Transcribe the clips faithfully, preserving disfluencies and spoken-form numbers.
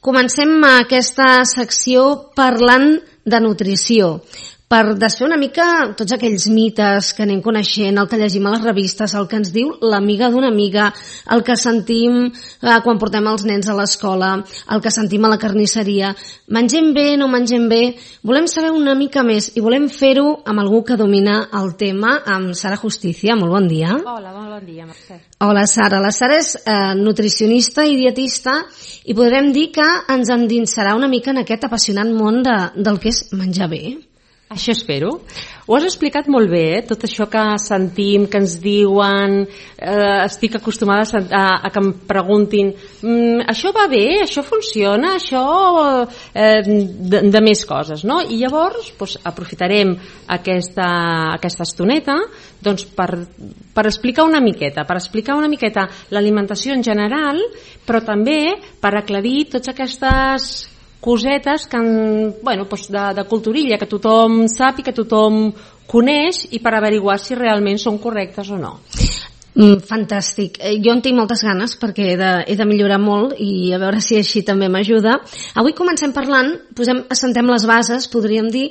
Comencem aquesta secció parlant de nutrició, per desfer una mica tots aquells mites que anem coneixent, el que llegim a les revistes, el que ens diu l'amiga d'una amiga, el que sentim eh, quan portem els nens a l'escola, el que sentim a la carnisseria. Mengem bé, no mengem bé? Volem saber una mica més i volem fer-ho amb algú que domina el tema, amb Sara Justicia. Molt bon dia. Hola, molt bon dia, Mercè. Hola, Sara. La Sara és eh, nutricionista i dietista i podrem dir que ens endinsarà una mica en aquest apassionant món de, del que és menjar bé. Això espero. Ho has explicat molt bé, eh? Tot això que sentim, que ens diuen, eh, estic acostumada a, a, a que em preguntin mm, això va bé, això funciona, això eh, de, de més coses, no? I llavors doncs, aprofitarem aquesta, aquesta estoneta doncs, per, per explicar una miqueta, per explicar una miqueta l'alimentació en general, però també per aclarir totes aquestes cosetes que, bueno, doncs de, de culturilla, que tothom sap i que tothom coneix i per averiguar si realment són correctes o no. Mm, fantàstic. Jo en tinc moltes ganes perquè he de, he de millorar molt i a veure si així també m'ajuda. Avui comencem parlant, posem, assentem les bases, podríem dir,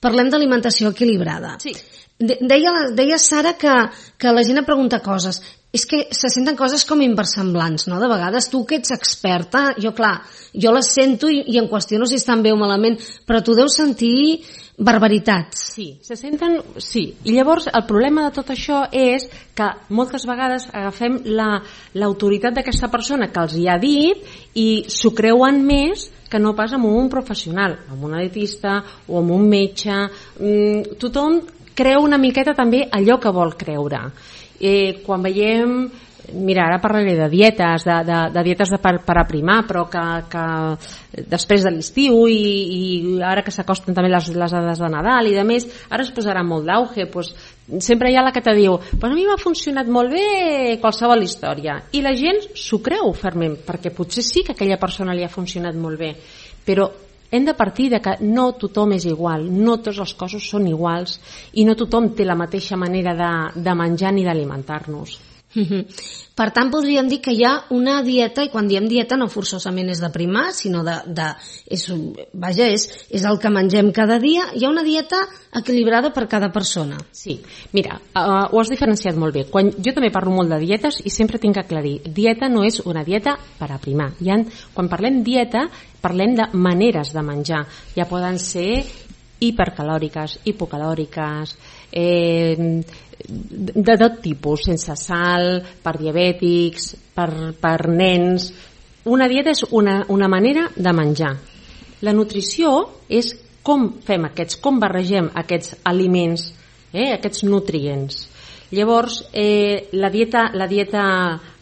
parlem d'alimentació equilibrada. Sí. Deia, deia Sara que, que la gent pregunta coses. És que se senten coses com inversemblants, no? De vegades tu que ets experta, jo clar, jo les sento i, i en qüestiono si estan bé o malament, però tu deus sentir barbaritats. Sí, se senten, sí. I llavors el problema de tot això és que moltes vegades agafem la, l'autoritat d'aquesta persona que els hi ha dit i s'ho creuen més que no pas amb un professional, amb un dietista o amb un metge. Mm, tothom creu una miqueta també allò que vol creure. Eh, quan veiem, mira, ara parlaré de dietes, de, de, de dietes de per, per aprimar, però que, que després de l'estiu i, i ara que s'acosten també les, les dades de Nadal i de més, ara es posarà molt d'auge, pues, sempre hi ha la que te diu, pues a mi m'ha funcionat molt bé qualsevol història, i la gent s'ho creu fermament, perquè potser sí que a aquella persona li ha funcionat molt bé, però hem de partir de que no tothom és igual, no tots els cossos són iguals i no tothom té la mateixa manera de, de menjar ni d'alimentar-nos. Per tant, podríem dir que hi ha una dieta, i quan diem dieta no forçosament és de primar, sinó de, de és, vaja, és, és el que mengem cada dia. Hi ha una dieta equilibrada per cada persona. Sí, mira, uh, ho has diferenciat molt bé. Quan, jo també parlo molt de dietes i sempre tinc que aclarir, dieta no és una dieta per aprimar. Hi ha, quan parlem dieta, parlem de maneres de menjar. Ja poden ser hipercalòriques, hipocalòriques, eh, de tot tipus, sense sal, per diabètics, per, per nens. Una dieta és una, una manera de menjar. La nutrició és com fem aquests, com barregem aquests aliments, eh, aquests nutrients. Llavors, eh, la dieta, la dieta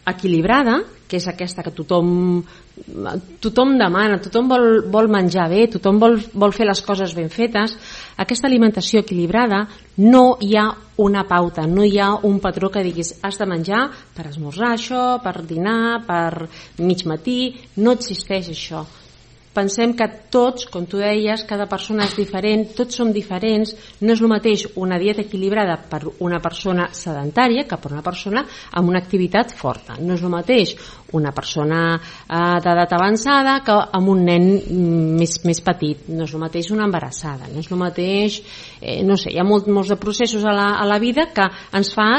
equilibrada, que és aquesta que tothom tothom demana, tothom vol, vol menjar bé, tothom vol, vol fer les coses ben fetes. Aquesta alimentació equilibrada no hi ha una pauta, no hi ha un patró que diguis has de menjar per esmorzar això, per dinar, per mig matí, no existeix això. Pensem que tots, com tu deies, cada persona és diferent, tots som diferents, no és el mateix una dieta equilibrada per una persona sedentària que per una persona amb una activitat forta. No és el mateix una persona eh, d'edat avançada que amb un nen més, més petit. No és el mateix una embarassada, no és el mateix, eh, no sé, hi ha molt, molts de processos a la, a la vida que ens fa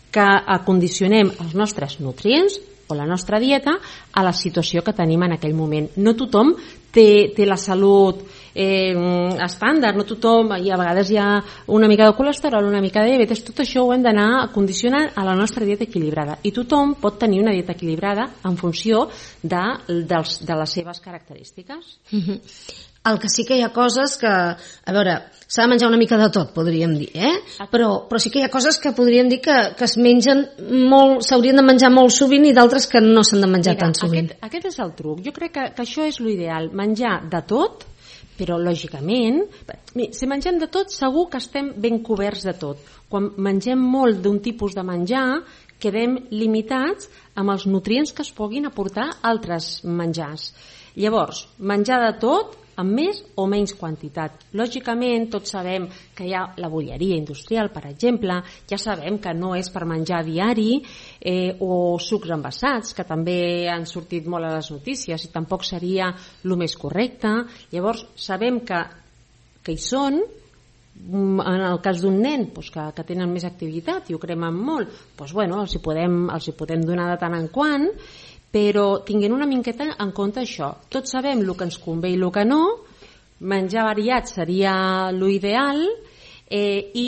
que acondicionem els nostres nutrients o la nostra dieta a la situació que tenim en aquell moment. No tothom té, té la salut eh, estàndard, no tothom, i a vegades hi ha una mica de colesterol, una mica de diabetes, tot això ho hem d'anar condicionant a la nostra dieta equilibrada. I tothom pot tenir una dieta equilibrada en funció de, dels, de les seves característiques. Mm-hmm. El que sí que hi ha coses que, a veure, s'ha de menjar una mica de tot, podríem dir, eh? Però, però sí que hi ha coses que podríem dir que, que es mengen molt, s'haurien de menjar molt sovint i d'altres que no s'han de menjar Mira, tan sovint. Aquest, aquest és el truc. Jo crec que, que això és l'ideal, menjar de tot, però lògicament, si mengem de tot segur que estem ben coberts de tot. Quan mengem molt d'un tipus de menjar, quedem limitats amb els nutrients que es puguin aportar altres menjars. Llavors, menjar de tot amb més o menys quantitat. Lògicament, tots sabem que hi ha la bolleria industrial, per exemple, ja sabem que no és per menjar diari, eh, o sucs envasats, que també han sortit molt a les notícies i tampoc seria el més correcte. Llavors, sabem que, que hi són. En el cas d'un nen doncs, que, que tenen més activitat i ho cremen molt, doncs, bueno, els, hi podem, els hi podem donar de tant en quant, però tinguent una miqueta en compte això. Tots sabem el que ens convé i el que no, menjar variat seria l'ideal, eh, i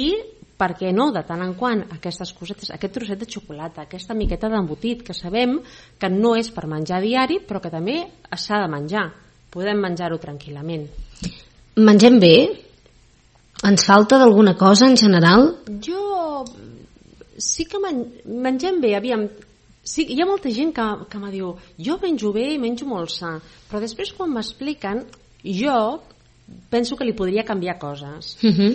per què no, de tant en quant, aquestes cosetes, aquest trosset de xocolata, aquesta miqueta d'embotit, que sabem que no és per menjar diari, però que també s'ha de menjar. Podem menjar-ho tranquil·lament. Mengem bé? Ens falta d'alguna cosa en general? Jo sí que men mengem bé, aviam. Sí, hi ha molta gent que, que me diu jo menjo bé i menjo molt sa, però després quan m'expliquen jo penso que li podria canviar coses. Uh-huh.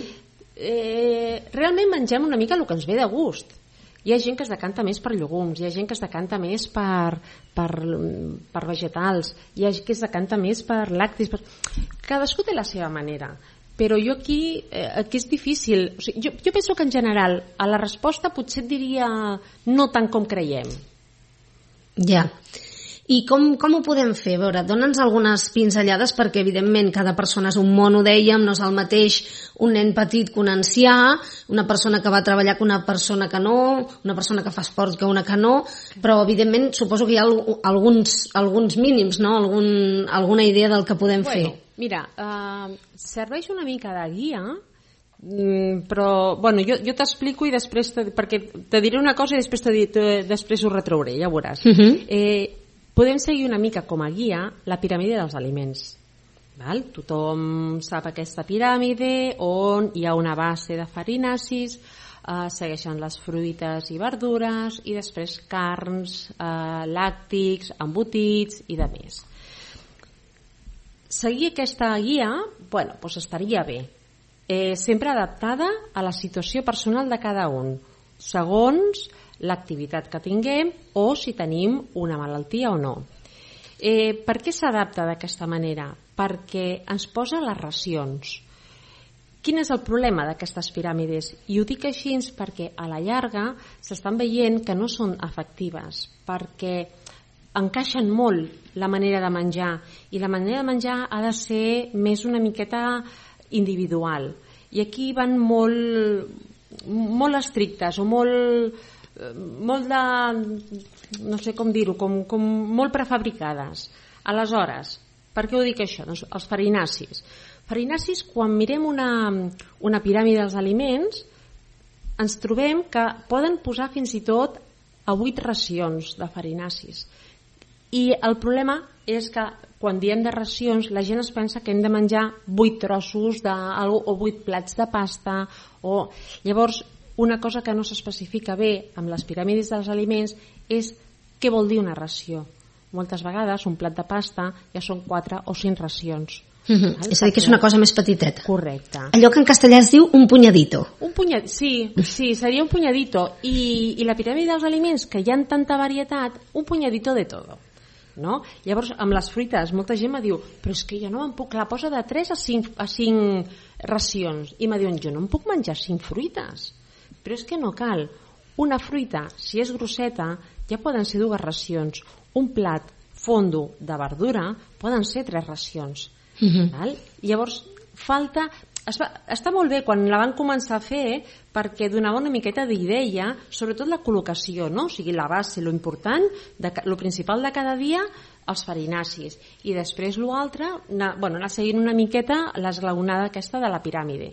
eh, realment mengem una mica el que ens ve de gust. Hi ha gent que es decanta més per llegums, hi ha gent que es decanta més per, per, per vegetals, hi ha gent que es decanta més per làctics, per... cadascú té la seva manera. Però jo aquí, eh, aquí és difícil. O sigui, jo, jo penso que en general a la resposta potser et diria no tant com creiem. Ja. I com, com ho podem fer? A veure, dona'ns algunes pinzellades, perquè evidentment cada persona és un món, ho dèiem, no és el mateix un nen petit que un ancià, una persona que va treballar que una persona que no, una persona que fa esport que una que no, però evidentment suposo que hi ha alguns, alguns mínims, no? Algun, alguna idea del que podem bueno, fer. Mira, uh, serveix una mica de guia, però bueno, jo, jo t'explico i després te, perquè te diré una cosa i després, te, te, després ho retrauré, ja ho veuràs. Uh-huh. eh, podem seguir una mica com a guia la piràmide dels aliments, val? Tothom sap aquesta piràmide on hi ha una base de farinacis, eh, segueixen les fruites i verdures i després carns, eh, làctics, embotits i de més. Seguir aquesta guia, bueno, doncs estaria bé. Eh, sempre adaptada a la situació personal de cada un, segons l'activitat que tinguem o si tenim una malaltia o no. Eh, per què s'adapta d'aquesta manera? Perquè ens posa les racions. Quin és el problema d'aquestes piràmides? I ho dic així perquè a la llarga s'estan veient que no són efectives, perquè encaixen molt la manera de menjar i la manera de menjar ha de ser més una miqueta individual, i aquí van molt, molt estrictes o molt, molt de, no sé com dir-ho, com, com molt prefabricades. Aleshores, per què ho dic això? Doncs els farinacis. Farinacis, quan mirem una, una piràmide dels aliments, ens trobem que poden posar fins i tot a vuit racions de farinacis. I el problema és que quan diem de racions la gent es pensa que hem de menjar vuit trossos de, o vuit plats de pasta o... Llavors, una cosa que no s'especifica bé amb les piràmides dels aliments és què vol dir una ració. Moltes vegades un plat de pasta ja són quatre o cinc racions. Mm-hmm. És a dir, que és una cosa més petiteta. Correcte. Allò que en castellà es diu un punyadito. Un punyadito, sí, sí, seria un punyadito. I, i la piràmide dels aliments, que hi ha tanta varietat, un punyadito de todo. No? Llavors, amb les fruites, molta gent me diu però és que jo no em puc, la posa de tres a cinc, a cinc racions. I me diuen, jo no em puc menjar cinc fruites. Però és que no cal. Una fruita, si és grosseta, ja poden ser dues racions. Un plat fondo de verdura poden ser tres racions. Uh-huh. Val? Llavors falta, es va, està molt bé quan la van començar a fer perquè donava una miqueta d'idea, sobretot la col·locació, no? O sigui, la base, lo important, de, lo principal de cada dia, els farinacis, i després l'altre, anar, bueno, anar seguint una miqueta l'esglaonada aquesta de la piràmide.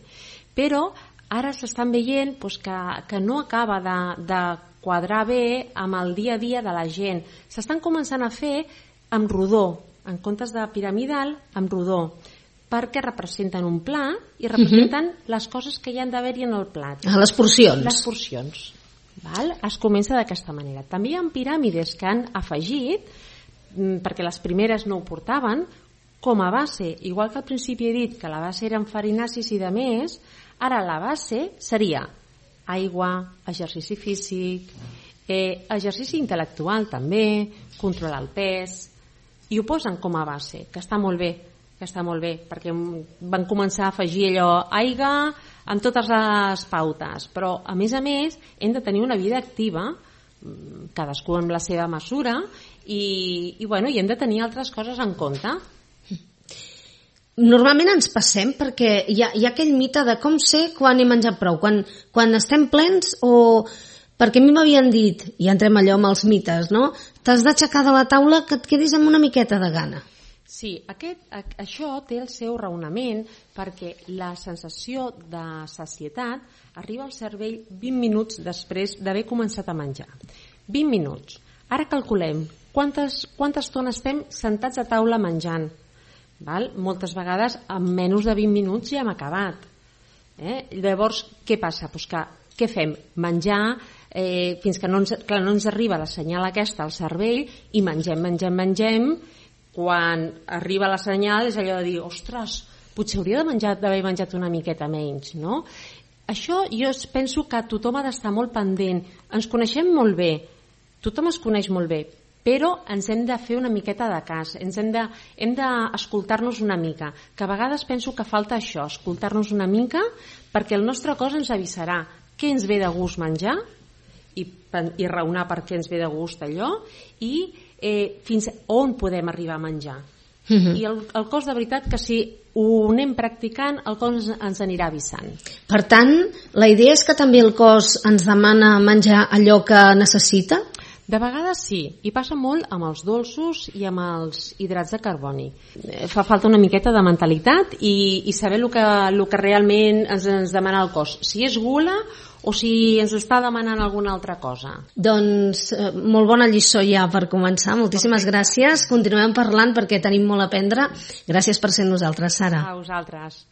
Però ara s'estan veient doncs, que, que no acaba de, de quadrar bé amb el dia a dia de la gent. S'estan començant a fer amb rodó, en comptes de piramidal, amb rodó, perquè representen un pla i representen uh-huh. les coses que hi han d'haver-hi en el plat. Ah, les porcions. Les porcions. Val? Es comença d'aquesta manera. També hi ha piràmides que han afegit, perquè les primeres no ho portaven, com a base, igual que al principi he dit que la base eren farinacis i de més, ara la base seria aigua, exercici físic, eh, exercici intel·lectual també, controlar el pes, i ho posen com a base, que està molt bé, que està molt bé, perquè van començar a afegir allò aigua amb totes les pautes, però a més a més hem de tenir una vida activa, cadascú amb la seva mesura, i, i, bueno, i hem de tenir altres coses en compte. Normalment ens passem perquè hi ha, hi ha aquell mite de com sé quan he menjat prou, quan, quan estem plens o... Perquè a mi m'havien dit, i entrem allò amb els mites, no? T'has d'aixecar de la taula que et quedis amb una miqueta de gana. Sí, aquest, això té el seu raonament perquè la sensació de sacietat arriba al cervell vint minuts després d'haver començat a menjar. vint minuts. Ara calculem quantes, quanta estona estem sentats a taula menjant. Val? Moltes vegades en menys de vint minuts ja hem acabat. Eh? Llavors, què passa? Pues que, què fem? Menjar eh, fins que no ens, clar, no ens arriba la senyal aquesta al cervell i mengem, mengem, mengem. Quan arriba la senyal és allò de dir, ostres, potser hauria de menjar, d'haver menjat una miqueta menys, no? Això jo penso que tothom ha d'estar molt pendent. Ens coneixem molt bé, tothom es coneix molt bé, però ens hem de fer una miqueta de cas, ens hem de, hem d'escoltar-nos una mica, que a vegades penso que falta això, escoltar-nos una mica, perquè el nostre cos ens avisarà què ens ve de gust menjar i, i raonar per què ens ve de gust allò i eh, fins on podem arribar a menjar. Uh-huh. I el, el cos de veritat que si ho anem practicant el cos ens anirà avisant. Per tant, la idea és que també el cos ens demana menjar allò que necessita? De vegades sí, i passa molt amb els dolços i amb els hidrats de carboni. Fa falta una miqueta de mentalitat i, i saber el que, el que realment ens, ens demana el cos. Si és gula o si ens està demanant alguna altra cosa. Doncs eh, molt bona lliçó ja per començar. Moltíssimes Perfecte. Gràcies. Continuem parlant perquè tenim molt a aprendre. Gràcies per ser nosaltres, Sara. A vosaltres.